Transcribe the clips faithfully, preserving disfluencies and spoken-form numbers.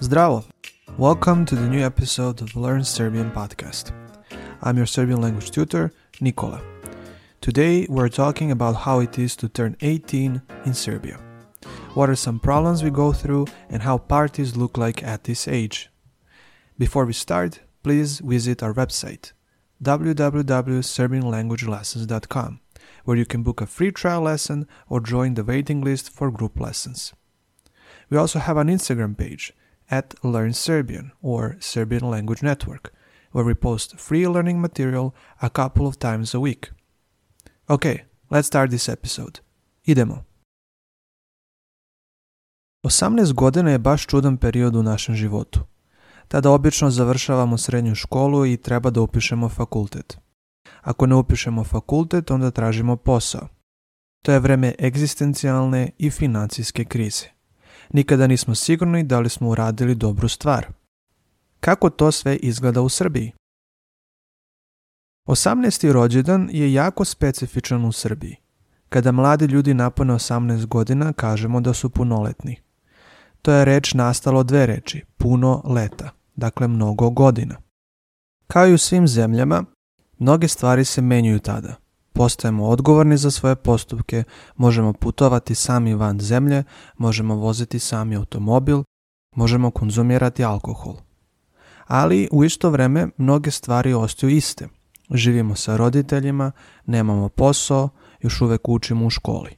Zdravo! Welcome to the new episode of Learn Serbian podcast. I'm your Serbian language tutor, Nikola. Today we're talking about how it is to turn eighteen in Serbia. What are some problems we go through and how parties look like at this age. Before we start, please visit our website w w w dot serbian language lessons dot com, where you can book a free trial lesson or join the waiting list for group lessons. We also have an Instagram page at Learn Serbian or Serbian Language Network, where we post free learning material a couple of times a week. Okay, let's start this episode. Idemo. osamnaest godina je baš čudan period u našem životu. Tada obično završavamo srednju školu i treba da upišemo fakultet. Ako ne upišemo fakultet, onda tražimo posao. To je vreme egzistencijalne i financijske krize. Nikada nismo sigurni da li smo uradili dobru stvar. Kako to sve izgleda u Srbiji? osamnaesti rođendan je jako specifičan u Srbiji. Kada mladi ljudi napune osamnaest godina, kažemo da su punoletni. To je reč nastalo od dve reči, puno leta, dakle mnogo godina. Kao i u svim zemljama, mnoge stvari se menjaju tada. Postajemo odgovorni za svoje postupke, možemo putovati sami van zemlje, možemo voziti sami automobil, možemo konzumirati alkohol. Ali u isto vreme mnoge stvari ostaju iste. Živimo sa roditeljima, nemamo posao, još uvek učimo u školi.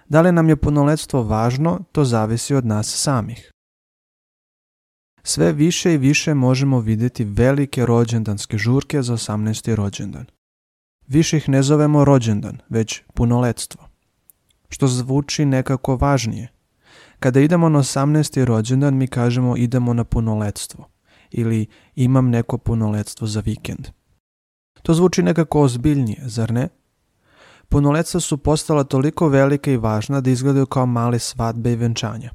Da li nam je punoletstvo važno, to zavisi od nas samih. Sve više i više možemo vidjeti velike rođendanske žurke za osamnaesti rođendan. Više ih ne zovemo rođendan, već punoletstvo. Što zvuči nekako važnije. Kada idemo na osamnaesti rođendan, mi kažemo idemo na punoletstvo ili imam neko punoletstvo za vikend. To zvuči nekako ozbiljnije, zar ne? Punoletstva su postala toliko velika i važna da izgledaju kao male svadbe i venčanja.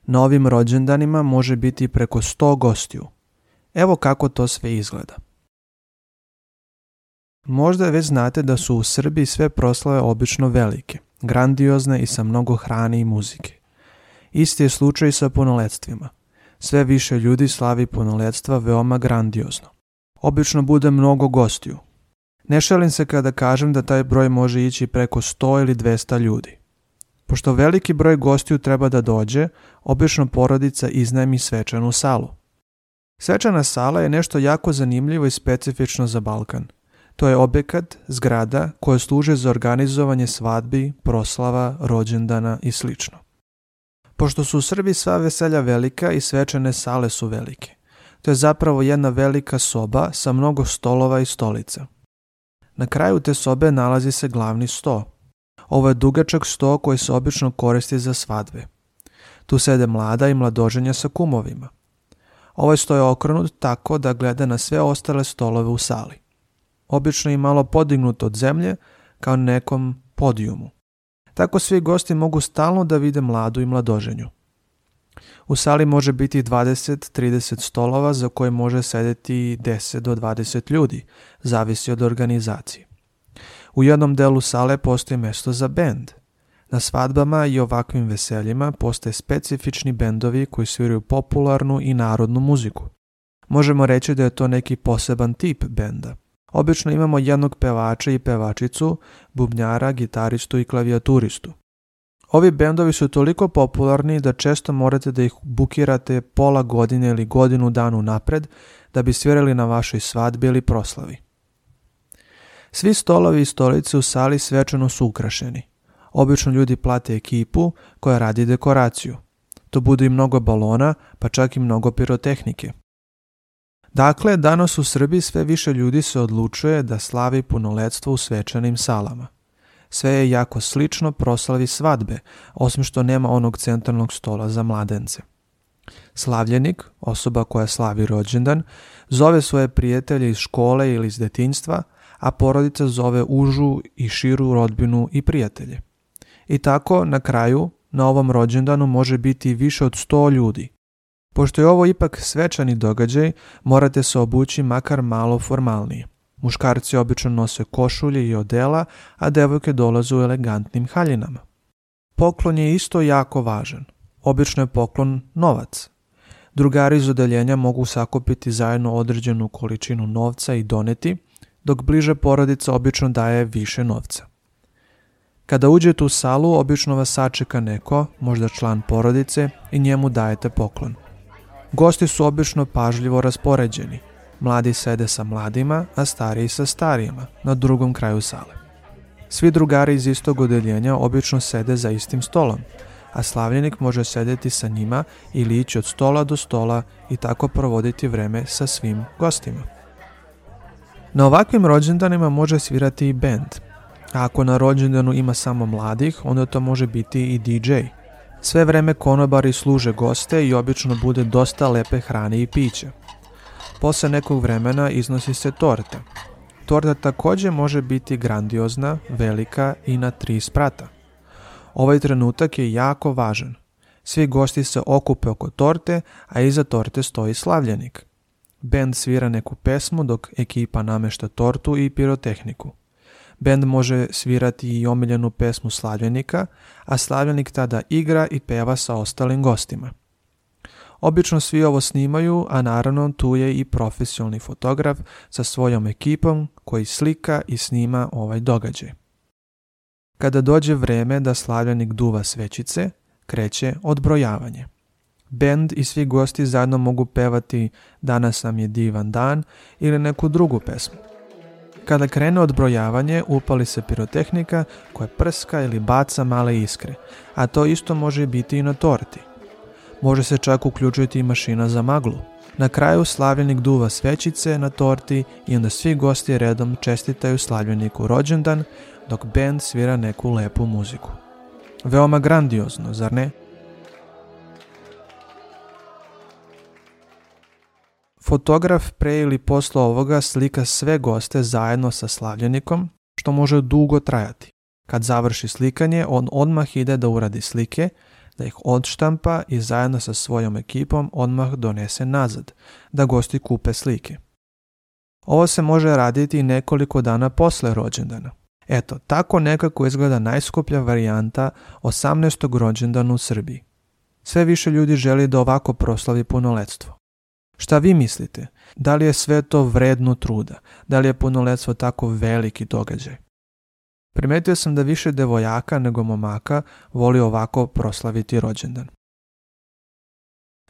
Na ovim rođendanima može biti preko sto gostiju. Evo kako to sve izgleda. Možda već znate da su u Srbiji sve proslave obično velike, grandiozne i sa mnogo hrane i muzike. Isti je slučaj sa punoletstvima. Sve više ljudi slavi punoletstva veoma grandiozno. Obično bude mnogo gostiju. Ne šalim se kada kažem da taj broj može ići preko sto ili dvesta ljudi. Pošto veliki broj gostiju treba da dođe, obično porodica iznajmi svečanu salu. Svečana sala je nešto jako zanimljivo i specifično za Balkan. To je objekat, zgrada koja služe za organizovanje svadbi, proslava, rođendana i sl. Pošto su u Srbiji sva veselja velika i svečane sale su velike, to je zapravo jedna velika soba sa mnogo stolova i stolica. Na kraju te sobe nalazi se glavni sto. Ovo je dugačak sto koji se obično koristi za svadbe. Tu sede mlada i mladoženja sa kumovima. Ovaj sto je okrenut tako da gleda na sve ostale stolove u sali. Obično je malo podignut od zemlje kao na nekom podijumu. Tako svi gosti mogu stalno da vide mladu i mladoženju. U sali može biti dvadeset do trideset stolova za koje može sedeti deset do dvadeset ljudi, zavisi od organizacije. U jednom delu sale postoji mjesto za bend. Na svadbama i ovakvim veseljima postoje specifični bendovi koji sviraju popularnu i narodnu muziku. Možemo reći da je to neki poseban tip benda. Obično imamo jednog pevača i pevačicu, bubnjara, gitaristu i klavijaturistu. Ovi bendovi su toliko popularni da često morate da ih bukirate pola godine ili godinu dana napred da bi svirali na vašoj svadbi ili proslavi. Svi stolovi i stolice u sali svečano su ukrašeni. Obično ljudi plate ekipu koja radi dekoraciju. To bude i mnogo balona, pa čak i mnogo pirotehnike. Dakle, danas u Srbiji sve više ljudi se odlučuje da slavi punoletstvo u svečanim salama. Sve je jako slično proslavi svadbe, osim što nema onog centralnog stola za mladence. Slavljenik, osoba koja slavi rođendan, zove svoje prijatelje iz škole ili iz detinjstva, a porodica zove užu i širu rodbinu i prijatelje. I tako, na kraju, na ovom rođendanu može biti više od sto ljudi. Pošto je ovo ipak svečani događaj, morate se obući makar malo formalnije. Muškarci obično nose košulje i odela, a devojke dolaze u elegantnim haljinama. Poklon je isto jako važan. Obično je poklon novac. Drugari iz odeljenja mogu sakupiti zajedno određenu količinu novca i doneti, dok bliža porodica obično daje više novca. Kada uđete u salu, obično vas sačeka neko, možda član porodice, i njemu dajete poklon. Gosti su obično pažljivo raspoređeni. Mladi sede sa mladima, a stariji sa starijima, na drugom kraju sale. Svi drugari iz istog odeljenja obično sede za istim stolom, a slavljenik može sedeti sa njima ili ići od stola do stola i tako provoditi vreme sa svim gostima. Na ovakvim rođendanima može svirati i bend, a ako na rođendanu ima samo mladih, onda to može biti i D J. Sve vreme konobari služe goste i obično bude dosta lepe hrane i pića. Posle nekog vremena iznosi se torta. Torta također može biti grandiozna, velika i na tri sprata. Ovaj trenutak je jako važan. Svi gosti se okupe oko torte, a iza torte stoji slavljenik. Bend svira neku pesmu dok ekipa namešta tortu i pirotehniku. Bend može svirati i omiljenu pesmu slavljenika, a slavljenik tada igra i peva sa ostalim gostima. Obično svi ovo snimaju, a naravno tu je i profesionalni fotograf sa svojom ekipom koji slika i snima ovaj događaj. Kada dođe vreme da slavljenik duva svećice, kreće odbrojavanje. Bend i svi gosti zajedno mogu pevati Danas nam je divan dan ili neku drugu pesmu. Kada krene odbrojavanje, upali se pirotehnika koja prska ili baca male iskre, a to isto može biti i na torti. Može se čak uključiti i mašina za maglu. Na kraju slavljenik duva svećice na torti i onda svi gosti redom čestitaju slavljeniku rođendan, dok bend svira neku lepu muziku. Veoma grandiozno, zar ne? Fotograf pre ili posle ovoga slika sve goste zajedno sa slavljenikom, što može dugo trajati. Kad završi slikanje, on odmah ide da uradi slike, da ih odštampa i zajedno sa svojom ekipom odmah donese nazad, da gosti kupe slike. Ovo se može raditi i nekoliko dana posle rođendana. Eto, tako nekako izgleda najskuplja varijanta osamnaestog rođendana u Srbiji. Sve više ljudi želi da ovako proslavi punoletstvo. Šta vi mislite? Da li je sve to vredno truda? Da li je punoletstvo tako veliki događaj? Primetio sam da više devojaka nego momaka voli ovako proslaviti rođendan.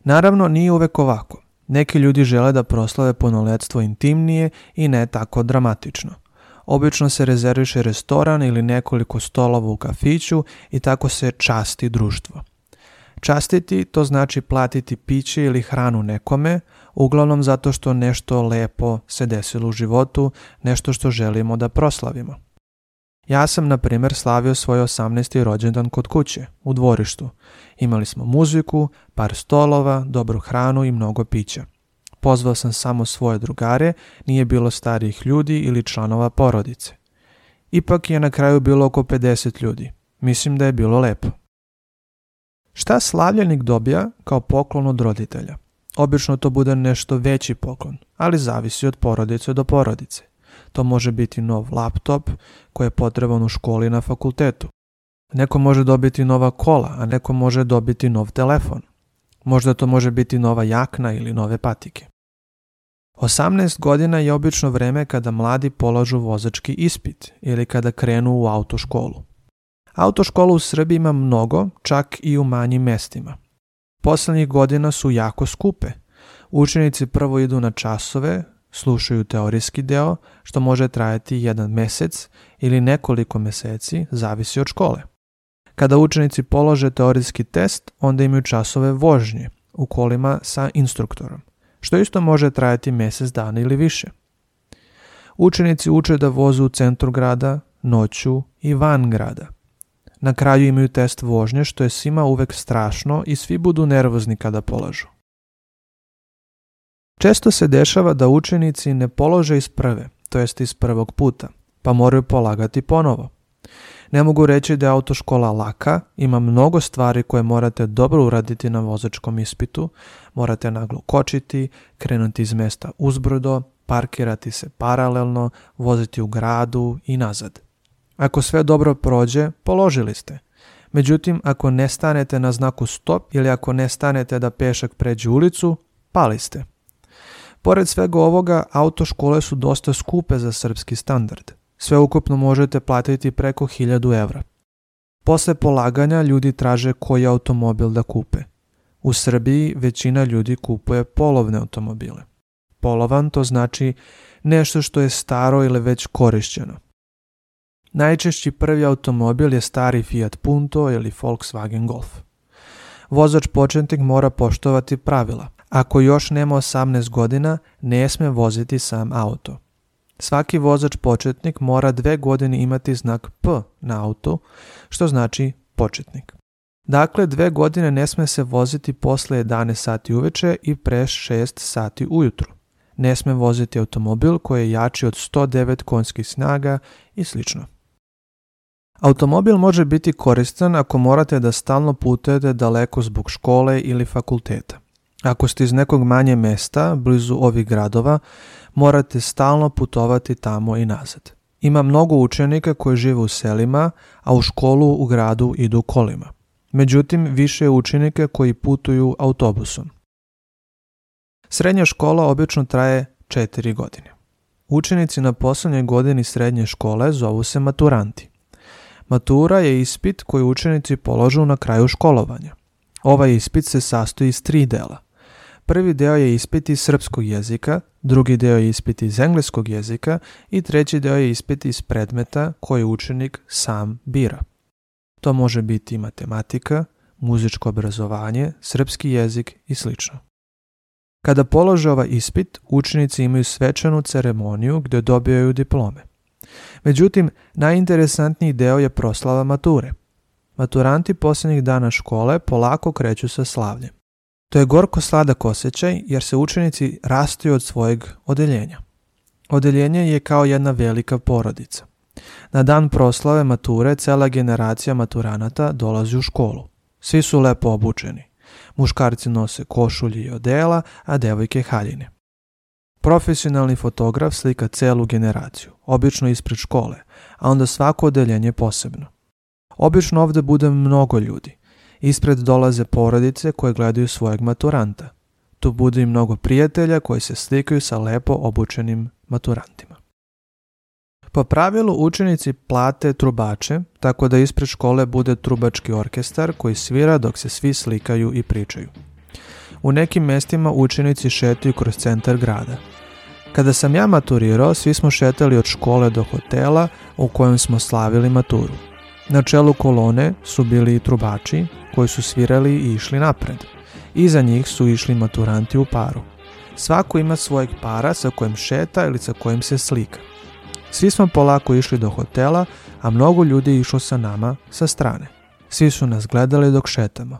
Naravno, nije uvek ovako. Neki ljudi žele da proslave punoletstvo intimnije i ne tako dramatično. Obično se rezerviše restoran ili nekoliko stolova u kafiću i tako se časti društvo. Častiti to znači platiti piće ili hranu nekome, uglavnom zato što nešto lepo se desilo u životu, nešto što želimo da proslavimo. Ja sam, na primjer, slavio svoj osamnaesti rođendan kod kuće, u dvorištu. Imali smo muziku, par stolova, dobru hranu i mnogo pića. Pozvao sam samo svoje drugare, nije bilo starijih ljudi ili članova porodice. Ipak je na kraju bilo oko pedeset ljudi. Mislim da je bilo lepo. Šta slavljenik dobija kao poklon od roditelja? Obično to bude nešto veći poklon, ali zavisi od porodice do porodice. To može biti nov laptop koji je potreban u školi na fakultetu. Neko može dobiti nova kola, a neko može dobiti nov telefon. Možda to može biti nova jakna ili nove patike. osamnaest godina je obično vreme kada mladi polažu vozački ispit ili kada krenu u autoškolu. Autoškolu u Srbiji ima mnogo, čak i u manjim mestima. Poslednjih godina su jako skupe. Učenici prvo idu na časove, slušaju teorijski deo, što može trajati jedan mesec ili nekoliko meseci, zavisi od škole. Kada učenici polože teorijski test, onda imaju časove vožnje u kolima sa instruktorom, što isto može trajati mesec dana ili više. Učenici uče da voze u centru grada, noću i van grada. Na kraju imaju test vožnje, što je svima uvek strašno i svi budu nervozni kada polažu. Često se dešava da učenici ne polože iz prve, to jest iz prvog puta, pa moraju polagati ponovo. Ne mogu reći da je autoškola laka, ima mnogo stvari koje morate dobro uraditi na vozačkom ispitu, morate naglo kočiti, krenuti iz mesta uzbrdo, parkirati se paralelno, voziti u gradu i nazad. Ako sve dobro prođe, položili ste. Međutim, ako ne stanete na znaku stop ili ako ne stanete da pešak pređe ulicu, pali ste. Pored svega ovoga, autoškole su dosta skupe za srpski standard. Sve ukupno možete platiti preko hiljadu evra. Posle polaganja ljudi traže koji automobil da kupe. U Srbiji većina ljudi kupuje polovne automobile. Polovan to znači nešto što je staro ili već korišćeno. Najčešći prvi automobil je stari Fiat Punto ili Volkswagen Golf. Vozač početnik mora poštovati pravila. Ako još nema osamnaest godina, ne sme voziti sam auto. Svaki vozač početnik mora dve godine imati znak P na autu, što znači početnik. Dakle, dve godine ne sme se voziti posle jedanaest sati uveče i pre šest sati ujutru. Ne sme voziti automobil koji je jači od sto devet konjskih snaga i sl. Automobil može biti koristan ako morate da stalno putujete daleko zbog škole ili fakulteta. Ako ste iz nekog manje mesta, blizu ovih gradova, morate stalno putovati tamo i nazad. Ima mnogo učenika koji žive u selima, a u školu u gradu idu kolima. Međutim, više je učenika koji putuju autobusom. Srednja škola obično traje četiri godine. Učenici na poslednjoj godini srednje škole zovu se maturanti. Matura je ispit koji učenici položu na kraju školovanja. Ovaj ispit se sastoji iz tri dela. Prvi deo je ispit iz srpskog jezika, drugi deo je ispit iz engleskog jezika i treći deo je ispit iz predmeta koji učenik sam bira. To može biti matematika, muzičko obrazovanje, srpski jezik i sl. Kada polože ovaj ispit, učenici imaju svečanu ceremoniju gdje dobijaju diplome. Međutim, najinteresantniji deo je proslava mature. Maturanti posljednjih dana škole polako kreću sa slavljem. To je gorko sladak osjećaj jer se učenici rastaju od svojeg odeljenja. Odeljenje je kao jedna velika porodica. Na dan proslave mature cela generacija maturanata dolazi u školu. Svi su lepo obučeni. Muškarci nose košulje i odela, a devojke haljine. Profesionalni fotograf slika celu generaciju, obično ispred škole, a onda svako odeljenje posebno. Obično ovde bude mnogo ljudi. Ispred dolaze porodice koje gledaju svojeg maturanta. Tu bude i mnogo prijatelja koji se slikaju sa lepo obučenim maturantima. Po pravilu učenici plate trubače, tako da ispred škole bude trubački orkestar koji svira dok se svi slikaju i pričaju. U nekim mestima učenici šetaju kroz centar grada. Kada sam ja maturirao, svi smo šetali od škole do hotela u kojem smo slavili maturu. Na čelu kolone su bili i trubači koji su svirali i išli napred. Iza njih su išli maturanti u paru. Svako ima svojeg para sa kojim šeta ili sa kojim se slika. Svi smo polako išli do hotela, a mnogo ljudi je išlo sa nama sa strane. Svi su nas gledali dok šetamo.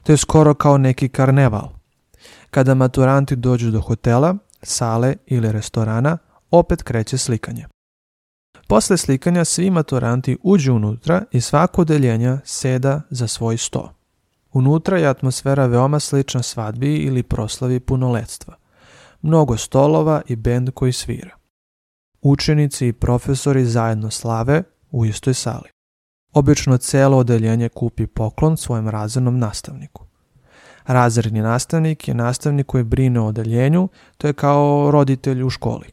To je skoro kao neki karneval. Kada maturanti dođu do hotela, sale ili restorana, opet kreće slikanje. Posle slikanja svi maturanti uđu unutra i svako odeljenja seda za svoj sto. Unutra je atmosfera veoma slična svadbi ili proslavi punoletstva. Mnogo stolova i bend koji svira. Učenici i profesori zajedno slave u istoj sali. Obično celo odeljenje kupi poklon svojem razrednom nastavniku. Razredni nastavnik je nastavnik koji brine o odeljenju, to je kao roditelj u školi.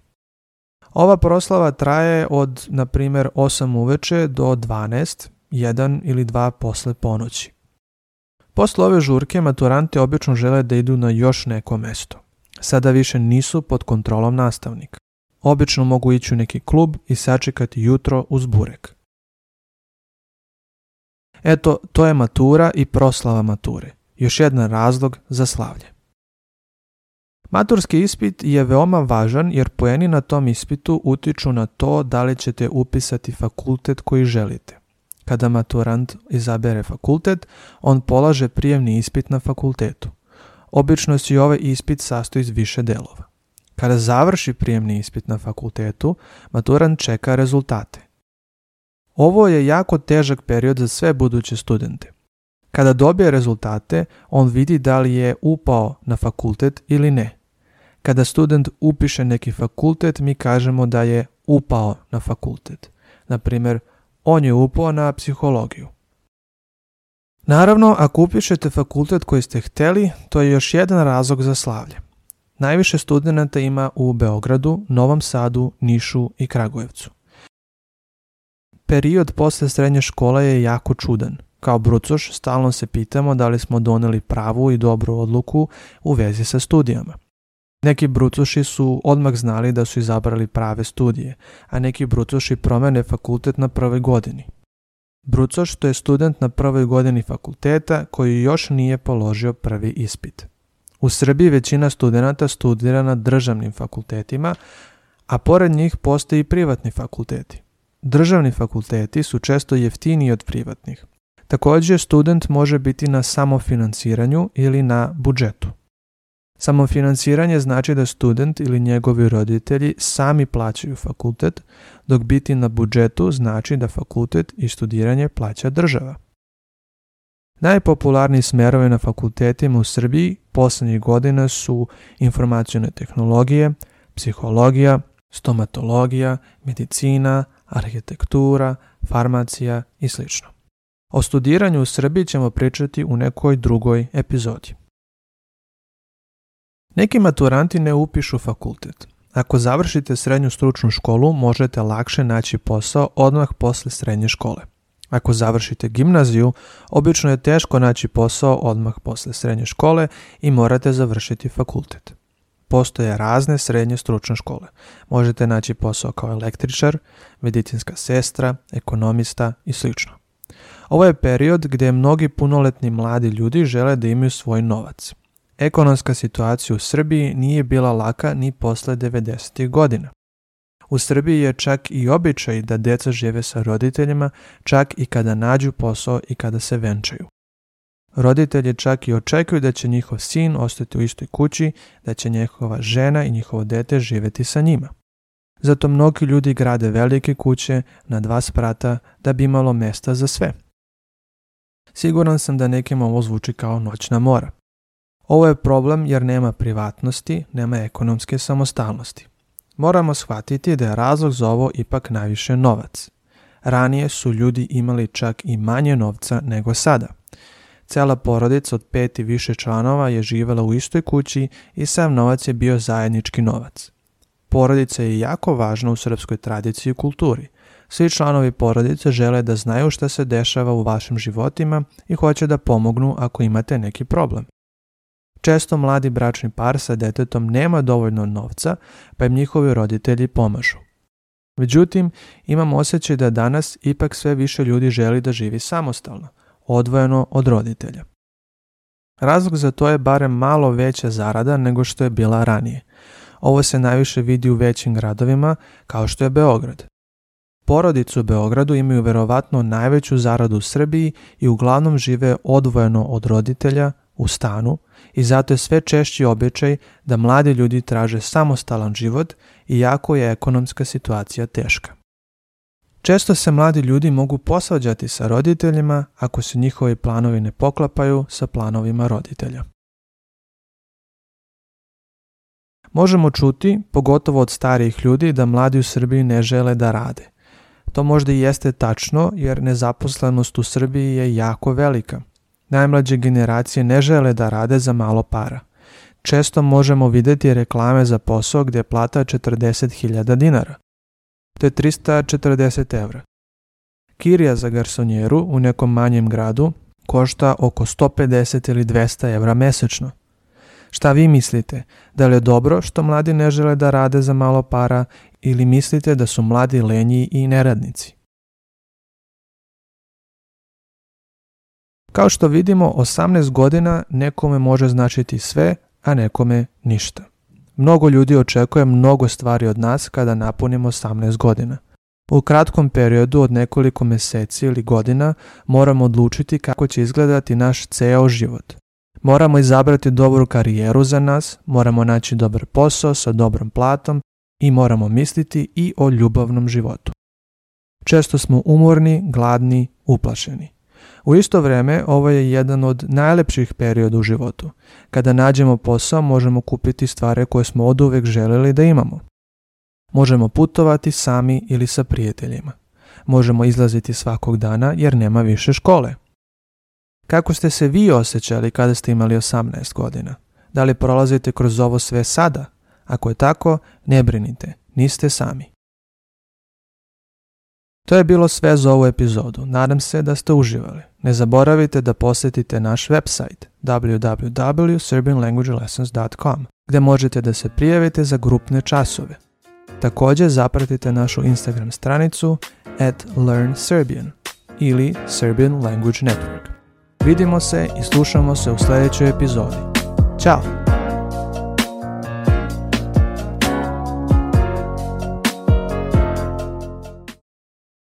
Ova proslava traje od, na primjer, osam uveče do dvanaest, jedan ili dva posle ponoći. Posle ove žurke maturanti obično žele da idu na još neko mesto. Sada više nisu pod kontrolom nastavnika. Obično mogu ići u neki klub i sačekati jutro uz burek. Eto, to je matura i proslava mature. Još jedan razlog za slavlje. Maturski ispit je veoma važan jer poeni na tom ispitu utiču na to da li ćete upisati fakultet koji želite. Kada maturant izabere fakultet, on polaže prijemni ispit na fakultetu. Obično se i ovaj ispit sastoji iz više delova. Kada završi prijemni ispit na fakultetu, maturant čeka rezultate. Ovo je jako težak period za sve buduće studente. Kada dobije rezultate, on vidi da li je upao na fakultet ili ne. Kada student upiše neki fakultet, mi kažemo da je upao na fakultet. Na primjer, on je upao na psihologiju. Naravno, ako upišete fakultet koji ste htjeli, to je još jedan razlog za slavlje. Najviše studenata ima u Beogradu, Novom Sadu, Nišu i Kragujevcu. Period posle srednje škole je jako čudan. Kao brucoš stalno se pitamo da li smo doneli pravu i dobru odluku u vezi sa studijama. Neki brucoši su odmah znali da su izabrali prave studije, a neki brucoši promene fakultet na prvoj godini. Brucoš to je student na prvoj godini fakulteta koji još nije položio prvi ispit. U Srbiji većina studenata studira na državnim fakultetima, a pored njih postoji i privatni fakulteti. Državni fakulteti su često jeftiniji od privatnih. Također, student može biti na samofinansiranju ili na budžetu. Samofinansiranje znači da student ili njegovi roditelji sami plaćaju fakultet, dok biti na budžetu znači da fakultet i studiranje plaća država. Najpopularniji smerovi na fakultetima u Srbiji posljednjih godina su informacione tehnologije, psihologija, stomatologija, medicina, arhitektura, farmacija i sl. O studiranju u Srbiji ćemo pričati u nekoj drugoj epizodi. Neki maturanti ne upišu fakultet. Ako završite srednju stručnu školu, možete lakše naći posao odmah posle srednje škole. Ako završite gimnaziju, obično je teško naći posao odmah posle srednje škole i morate završiti fakultet. Postoje razne srednje stručne škole. Možete naći posao kao električar, medicinska sestra, ekonomista i sl. Ovo je period gdje mnogi punoletni mladi ljudi žele da imaju svoj novac. Ekonomska situacija u Srbiji nije bila laka ni posle devedesetih godina. U Srbiji je čak i običaj da deca žive sa roditeljima, čak i kada nađu posao i kada se venčaju. Roditelji čak i očekuju da će njihov sin ostati u istoj kući, da će njihova žena i njihovo dete živjeti sa njima. Zato mnogi ljudi grade velike kuće na dva sprata da bi imalo mesta za sve. Siguran sam da nekima ovo zvuči kao noćna mora. Ovo je problem jer nema privatnosti, nema ekonomske samostalnosti. Moramo shvatiti da je razlog za ovo ipak najviše novac. Ranije su ljudi imali čak i manje novca nego sada. Cela porodica od pet i više članova je živjela u istoj kući i sav novac je bio zajednički novac. Porodica je jako važna u srpskoj tradiciji i kulturi. Svi članovi porodice žele da znaju šta se dešava u vašim životima i hoće da pomognu ako imate neki problem. Često mladi bračni par sa detetom nema dovoljno novca, pa im njihovi roditelji pomažu. Međutim, imam osjećaj da danas ipak sve više ljudi želi da živi samostalno, odvojeno od roditelja. Razlog za to je barem malo veća zarada nego što je bila ranije. Ovo se najviše vidi u većim gradovima, kao što je Beograd. Porodice u Beogradu imaju verovatno najveću zaradu u Srbiji i uglavnom žive odvojeno od roditelja u stanu i zato je sve češći običaj da mladi ljudi traže samostalan život iako je ekonomska situacija teška. Često se mladi ljudi mogu posvađati sa roditeljima ako se njihovi planovi ne poklapaju sa planovima roditelja. Možemo čuti, pogotovo od starijih ljudi, da mladi u Srbiji ne žele da rade. To možda i jeste tačno jer nezaposlenost u Srbiji je jako velika. Najmlađe generacije ne žele da rade za malo para. Često možemo vidjeti reklame za posao gdje je plata četrdeset hiljada dinara. To je trista četrdeset evra. Kirija za garsonjeru u nekom manjem gradu košta oko sto pedeset ili dvesta evra mesečno. Šta vi mislite? Da li je dobro što mladi ne žele da rade za malo para ili mislite da su mladi lenji i neradnici? Kao što vidimo, osamnaest godina nekome može značiti sve, a nekome ništa. Mnogo ljudi očekuje mnogo stvari od nas kada napunimo osamnaest godina. U kratkom periodu od nekoliko mjeseci ili godina moramo odlučiti kako će izgledati naš ceo život. Moramo izabrati dobru karijeru za nas, moramo naći dobar posao sa dobrom platom i moramo misliti i o ljubavnom životu. Često smo umorni, gladni, uplašeni. U isto vrijeme ovo je jedan od najlepših perioda u životu. Kada nađemo posao možemo kupiti stvari koje smo oduvek željeli da imamo. Možemo putovati sami ili sa prijateljima. Možemo izlaziti svakog dana jer nema više škole. Kako ste se vi osjećali kada ste imali osamnaest godina? Da li prolazite kroz ovo sve sada? Ako je tako, ne brinite, niste sami. To je bilo sve za ovu epizodu. Nadam se da ste uživali. Ne zaboravite da posjetite naš website w w w dot serbian language lessons dot com gdje možete da se prijavite za grupne časove. Također zapratite našu Instagram stranicu at learn serbian ili Serbian Language Network. Vidimo se i slušamo se u sljedećoj epizodi. Ćao!